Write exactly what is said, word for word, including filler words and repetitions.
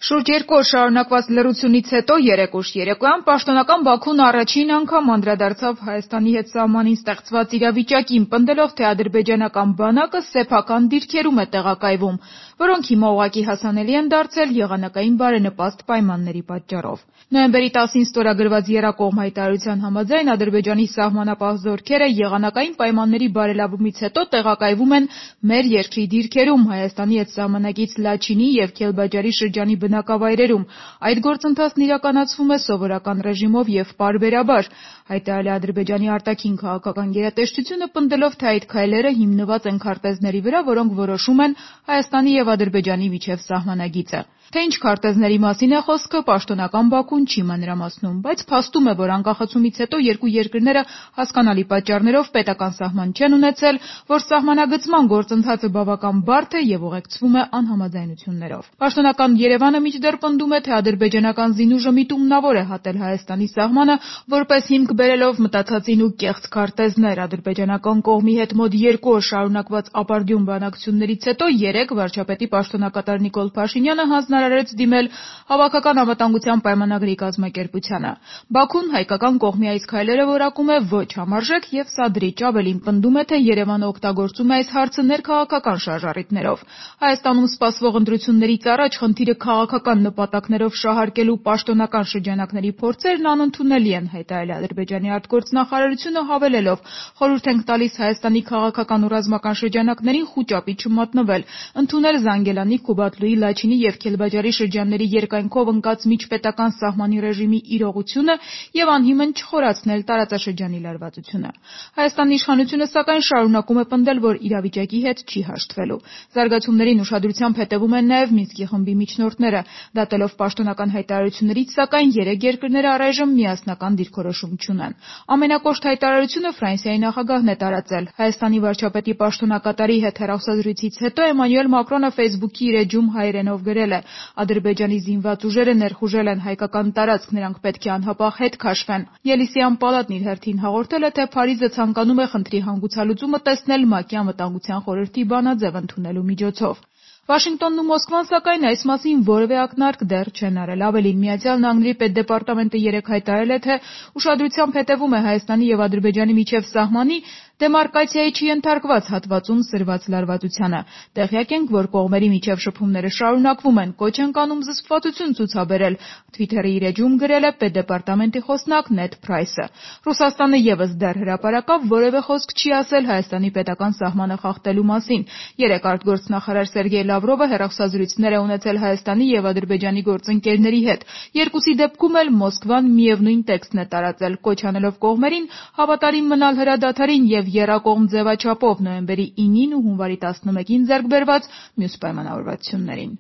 Շուրջ երկու օր շարունակված լռությունից հետո երեք ուշ երեկոյան պաշտոնական Բաքուն առաջին անգամ անդրադարձավ Հայաստանի հետ սահմանին ստեղծված իրավիճակին, պնդելով, թե ադրբեջանական բանակը սեփական դիրքերում է տեղակայվում, որոնք հիմա ուղղակի հասանելի են դարձել եղանակային բարենպաստ պայմանների պատճառով։ Նոյեմբերի տասին ստորագրված եռակողմ հայտարարության համաձայն Ադրբեջանի սահմանապահ զորքերը եղանակային պայմանների բարելավումից հետո տեղակայվում են մեր երկրի դիրքերում, Հայաստանի հետ սահմանակից Լաչինի և Քելբաջարի շրջանի բնակավայրերում։ Այդ գործընթացն իրականացվում է սովորական ռեժիմով և պարբերաբար, հայտարարել է Ադրբեջանի արտաքին քաղաքական գերատեսչությունը, պնդելով, թե այդ քայլերը հիմնված են քարտեզների վրա, որոնք որոշում են Հայաստանի և Ադրբեջանի միջև սահմանագիծը։ Թե ինչ քարտեզների մասին է խոսքը, պաշտոնական Բաքուն չի մանրամասնում, բայց փաստում է, որ անկախացումից հետո երկու երկրները հասկանալի պատճառներով պետական սահման չեն ունեցել, որ սահմանագծման գործընթացը բավական բարդ է և ուղեկցվում է անհամաձայնություններով։ Պաշտոնական Երևանը մինչդեռ պնդում է, թե ադրբեջանական զինուժը միտումնավոր է հատել Հայաստանի սահմանը, որպես հիմք բերելով մտածածին ու կեղծ քարտեզներ։ Ադրբեջանական կողմի հետ մոտ երկու օր շարունակված ապարդյուն բանակցություններից հետո երեկ վարչապետի պաշտոնակատար Նիկոլ Փաշինյանը հանձնարարեց դիմել Հավաքական անվտանգության պայմանագրի կազմակերպությանը։ Բաքուն հայկական կողմի այս քայլերը որակում է ոչ համարժեք և սադրիչ, ավելին պնդում է, թե Երևանը օգտագործում է այս հարցը ներքաղաքական շարժառիթներով։ Հայաստանում սպասվող ընտրություններից առաջ խնդիրը քաղաքական նպատակներով շահարկելու պաշտոնական շրջանակների փորձերն անընդունելի են, հայտարարել է Ադրբեջանի արտգործնախարարությունը, հավելելով. խորհուրդ ենք տալիս Հայաստանի քաղաքական ու ռազմական շրջանակներին խուճապի չմատնվել, ընդունել Զանգելանի, Քուբաթլուի, Լաչինի և Քելբաջարի շրջանների երկայնքով ընկած միջպետական սահմանի ռեժիմի իրողությունը և անհիմն չխորացնել տարածաշրջանի լարվածությունը։ Հայաստանի իշխանությունը, սակայն, շարունակում է պնդել, որ իրավիճակի հետ չի հաշտվելու։ Զարգացումներին ուշադրությամբ հետևում են նաև Մինսկի խմբի միջնորդները։ Դատելով պաշտոնական հայտարարություններից, սակայն, երեք երկրները առայժմ միասնական դիրքորոշում չունեն։ Ամենակոշտ հայտարարությունը Ֆրանսիայի նախագահն է տարածել։ Հայաստանի վարչապետի պաշտոնակատարի հետ հեռախոսազրույցից հետո Էմանուել Մակրոնը Facebook-ի իր էջում հայերենով գրել է. «Ադրբեջանի զինված ուժերը ներխուժել են հայկական տարածք, նրանք պետք է անհապաղ հետ քաշվեն»։ Ելիսեյան պալատն իր հերթին հաղորդել է, թե Փարիզը ցանկանում է խնդրի հանգուցալուծումը տեսնել ՄԱԿ-ի Անվտանգության խորհրդի բանաձև ընդունելու միջոցով։ Վաշինգտոնն ու Մոսկվան, սակայն, այս մասին որևէ ակնարկ դեռ չեն արել։ Ավելին, Միացյալ Նահանգների պետդեպարտամենտը երեկ հայտարարել է, թե ուշադրությամբ հետևում է Հայաստանի և Ադրբեջանի միջև սահմանի դեմարկացիայի չենթարկված հատվածում սրված լարվածությանը։ Տեղյակ ենք, որ կողմերի միջև շփումները շարունակվում են, կոչ ենք անում զսպվածություն ցուցաբերել, Twitter-ի իր էջում գրել է պետդեպարտամենտի խոսնակ Նեդ Փրայսը։ Ռուսաստանը ևս դեռ հրապարակավ որևէ խոսք չի ասել Հայաստանի պետական սահմանը խախտելու մասին։ Երեկ արտգործնախարար Սերգեյ Լավրովը հեռախոսազրույցներ է ունեցել Հայաստանի և Ադրբեջանի գործընկերների հետ։ Երկուսի դեպքում էլ Մոսկվան միևնույն տեքստն է տարածել, կոչ անելով կողմերին հավատարիմ մնալ հրադադարին և եռակողմ ձևաչափով նոյեմբերի ինին ու հունվարի տասնմեկին ձեռք բերված մյուս պայմանավորվածություններին։